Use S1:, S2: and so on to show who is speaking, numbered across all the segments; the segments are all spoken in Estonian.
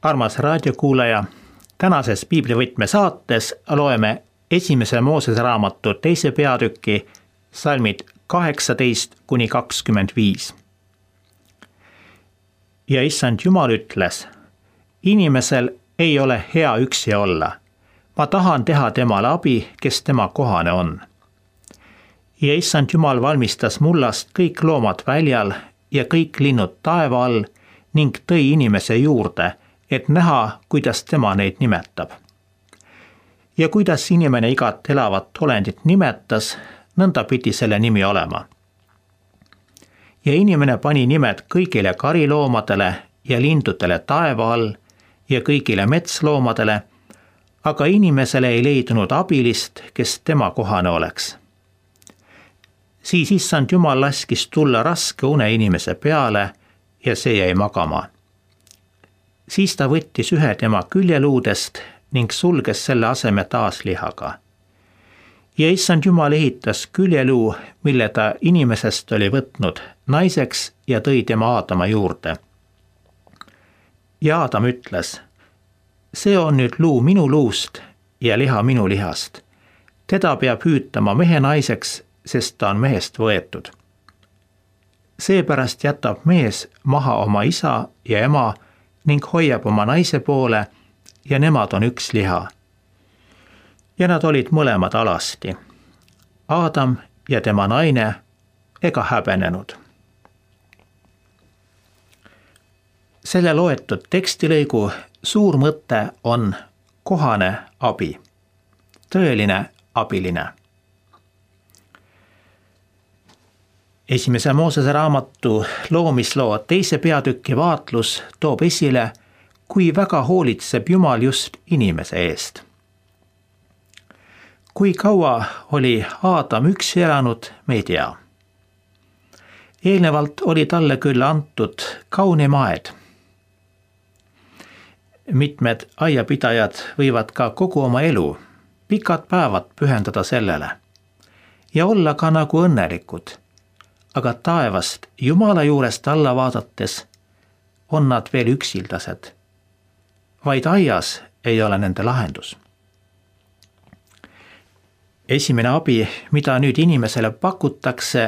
S1: Armas raadiokuulaja, tänases piiblivõtme saates loeme esimese Moosese raamatu 2. peatüki salmid 18-25. Ja issand Jumal ütles, inimesel ei ole hea üksi olla. Ma tahan teha temale abi, kes tema kohane on. Ja issand Jumal valmistas mullast kõik loomad väljal ja kõik linnud taeva all ning tõi inimese juurde, et näha, kuidas tema neid nimetab. Ja kuidas inimene igat elavat olendit nimetas, nõnda pidi selle nimi olema. Ja inimene pani nimed kõigile kariloomadele ja lindudele taeva all ja kõigile metsloomadele, aga inimesele ei leidunud abilist, kes tema kohane oleks. Siis issand Jumal laskis tulla raske une inimese peale ja see jäi magama. Siis ta võttis ühe tema küljeluudest ning sulges selle aseme taas lihaga. Ja issand Jumal ehitas küljeluu, mille ta inimesest oli võtnud naiseks ja tõi tema Aadama juurde. Ja Aadam ütles, see on nüüd luu minu luust ja liha minu lihast. Teda peab hüütama mehe naiseks, sest ta on mehest võetud. Seepärast jätab mees maha oma isa ja ema ning hoiab oma naise poole ja nemad on üks liha. Ja nad olid mõlemad alasti. Aadam ja tema naine ega häbenenud. Selle loetud tekstilõigu suur mõte on kohane abi, tõeline abiline. Esimese Moosese raamatu loomisloo 2. peatüki vaatlus toob esile, kui väga hoolitseb Jumal just inimese eest. Kui kaua oli Aadam üksi elanud, me ei tea. Eelnevalt oli talle küll antud kaunim aed. Mitmed aiapidajad võivad ka kogu oma elu, pikad päevad pühendada sellele ja olla ka nagu õnnelikud. Aga taevast Jumala juurest alla vaadates on nad veel üksildased. Vaid aias ei ole nende lahendus. Esimene abi, mida nüüd inimesele pakutakse,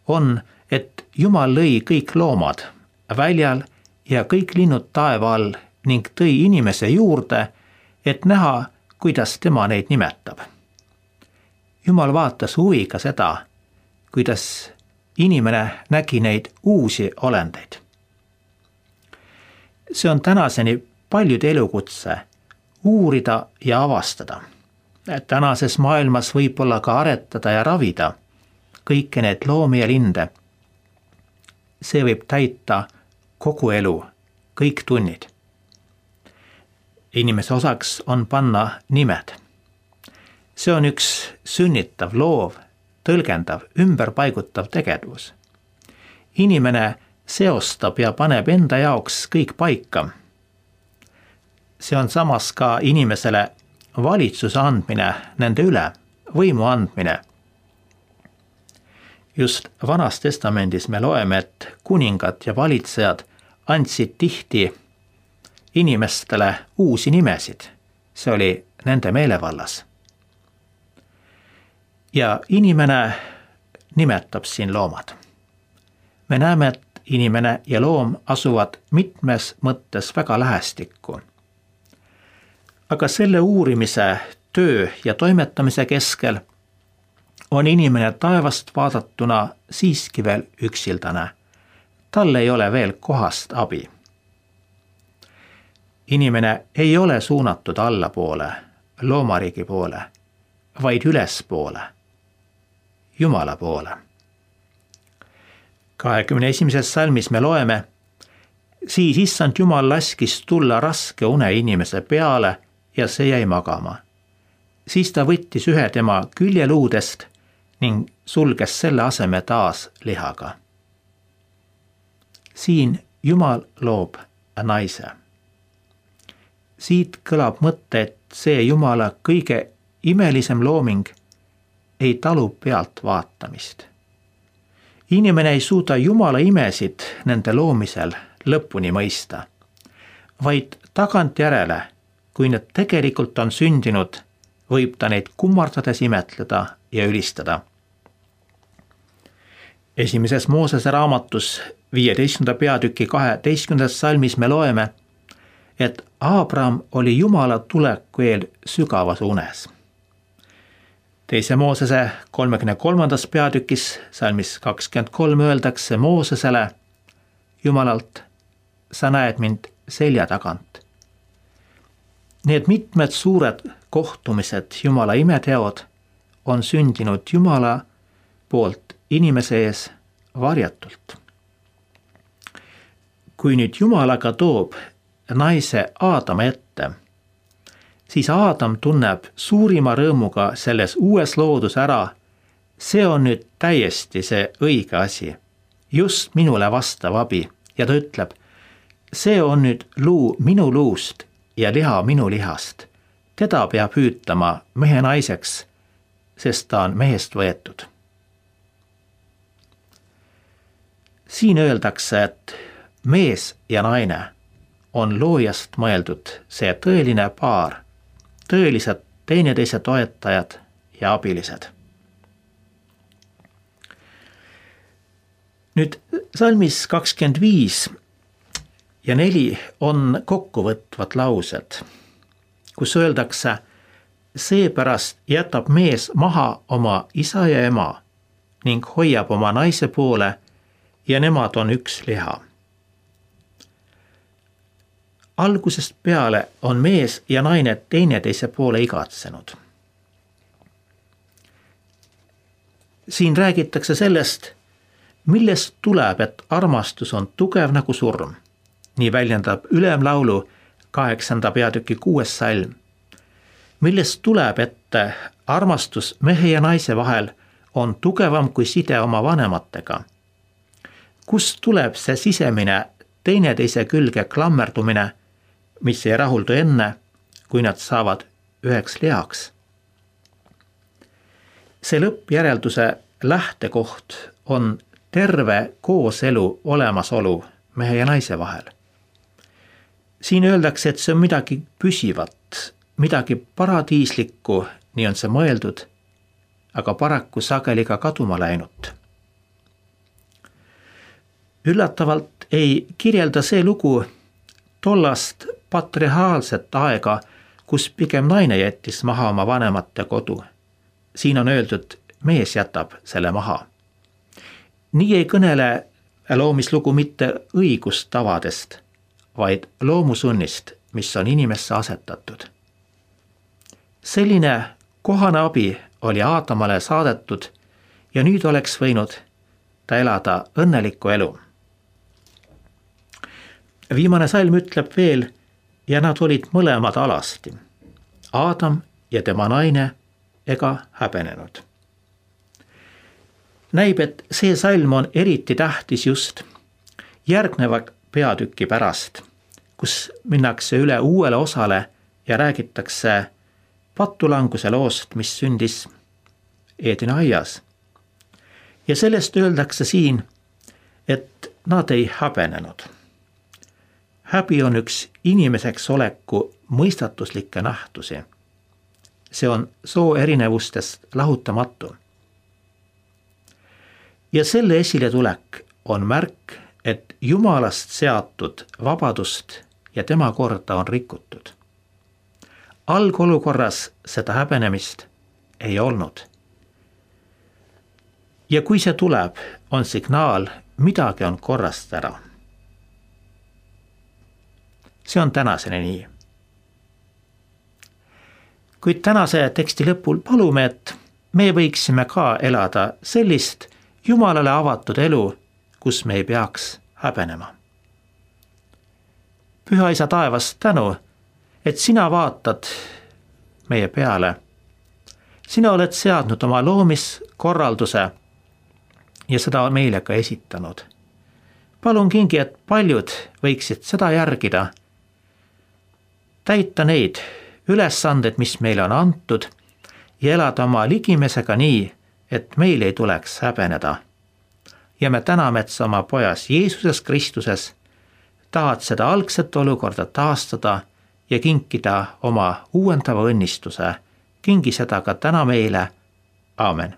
S1: on, et Jumal lõi kõik loomad väljal ja kõik linnud taeva all ning tõi inimese juurde, et näha, kuidas tema neid nimetab. Jumal vaatas huviga seda, kuidas inimene nägi neid uusi olendeid. See on tänaseni paljude elukutse uurida ja avastada. Tänases maailmas võib-olla ka aretada ja ravida kõiki need loomi ja linde. See võib täita kogu elu, kõik tunnid. Inimese osaks on panna nimed. See on üks sünnitav, loov, tõlgendav, ümberpaigutav tegevus. Inimene seostab ja paneb enda jaoks kõik paika. See on samas ka inimesele valitsuse andmine nende üle, võimu andmine. Just Vanas Testamendis me loeme, et kuningad ja valitsejad andsid tihti inimestele uusi nimesid. See oli nende meelevallas. Ja inimene nimetab siin loomad. Me näeme, et inimene ja loom asuvad mitmes mõttes väga lähestikku. Aga selle uurimise, töö ja toimetamise keskel on inimene taevast vaadatuna siiski veel üksildane. Tal ei ole veel kohast abi. Inimene ei ole suunatud allapoole, loomariigi poole, vaid ülespoole, Jumala poole. 21. salmis me loeme, siis issand Jumal laskis tulla raske une inimese peale ja see jäi magama. Siis ta võttis ühe tema küljeluudest ning sulges selle aseme taas lihaga. Siin Jumal loob naise. Siit kõlab mõte, et see Jumala kõige imelisem looming ei talu pealt vaatamist. Inimene ei suuda Jumala imesid nende loomisel lõpuni mõista, vaid tagantjärele, kui need tegelikult on sündinud, võib ta neid kummardades imetleda ja ülistada. Esimeses Moosese raamatus 15. peatüki 12. salmis me loeme, et Abraham oli Jumala tuleku eel sügavas unes. Teise Moosese 33. peatükis salmis 23 öeldakse Moosesele Jumalalt, sa näed mind selja tagant. Need mitmed suured kohtumised, Jumala imeteod, on sündinud Jumala poolt inimese ees varjatult. Kui nüüd Jumal aga toob naise Aadama ette, siis Aadam tunneb suurima rõõmuga selles uues loodus ära, see on nüüd täiesti see õige asi, just minule vastav abi, ja ta ütleb, see on nüüd luu minu luust ja liha minu lihast. Teda peab hüütama mehe naiseks, sest ta on mehest võetud. Siin öeldakse, et mees ja naine on loojast mõeldud see tõeline paar, tõelised teineteise toetajad ja abilised. Nüüd salmis 25 ja 4 on kokkuvõtvad laused, kus öeldakse, seepärast jätab mees maha oma isa ja ema ning hoiab oma naise poole ja nemad on üks liha. Algusest peale on mees ja naine teineteise poole igatsenud. Siin räägitakse sellest, millest tuleb, et armastus on tugev nagu surm. Nii väljendab Ülemlaulu 8. peatüki 6. salm. Millest tuleb, et armastus mehe ja naise vahel on tugevam kui side oma vanematega. Kust tuleb see sisemine teineteise külge klammerdumine, mis ei rahuldu enne, kui nad saavad üheks lihaks. See lõppjärelduse lähtekoht on terve kooselu olemasolu mehe ja naise vahel. Siin öeldakse, et see on midagi püsivat, midagi paradiislikku, nii on see mõeldud, aga paraku sageli ka kaduma läinud. Üllatavalt ei kirjelda see lugu tollast patriarhaalset aega, kus pigem naine jättis maha oma vanemate kodu. Siin on öeldud, mees jätab selle maha. Nii ei kõnele loomislugu mitte õigustavadest, vaid loomusunnist, mis on inimesse asetatud. Selline kohane abi oli Aadamale saadetud ja nüüd oleks võinud ta elada õnnelikku elu. Viimane salm ütleb veel, ja nad olid mõlemad alasti, Aadam ja tema naine ega häbenenud. Näib, et see salm on eriti tähtis just järgneva peatüki pärast, kus minnakse üle uuele osale ja räägitakse patulanguse loost, mis sündis Eedeni aias. Ja sellest öeldakse siin, et nad ei häbenenud. Häbi on üks inimeseks oleku mõistatuslikke nähtusi. See on soo erinevustest lahutamatu. Ja selle esiletulek on märk, et Jumalast seatud vabadust ja tema korda on rikutud. Algolukorras seda häbenemist ei olnud. Ja kui see tuleb, on signaal, midagi on korrast ära. See on tänaseni nii. Kuid tänase teksti lõpul palume, et me võiksime ka elada sellist Jumalale avatud elu, kus me ei peaks häbenema. Püha Isa taevas, tänu, et sina vaatad meie peale. Sina oled seadnud oma loomiskorralduse ja seda meile ka esitanud. Palun kingi, et paljud võiksid seda järgida, täita neid ülesanded, mis meile on antud ja elada oma ligimesega nii, et meil ei tuleks häbeneda. Ja me täname, et sa oma pojas Jeesuses Kristuses tahad seda algset olukorda taastada ja kinkida oma uuendava õnnistuse, kingi seda ka täna meile. Aamen.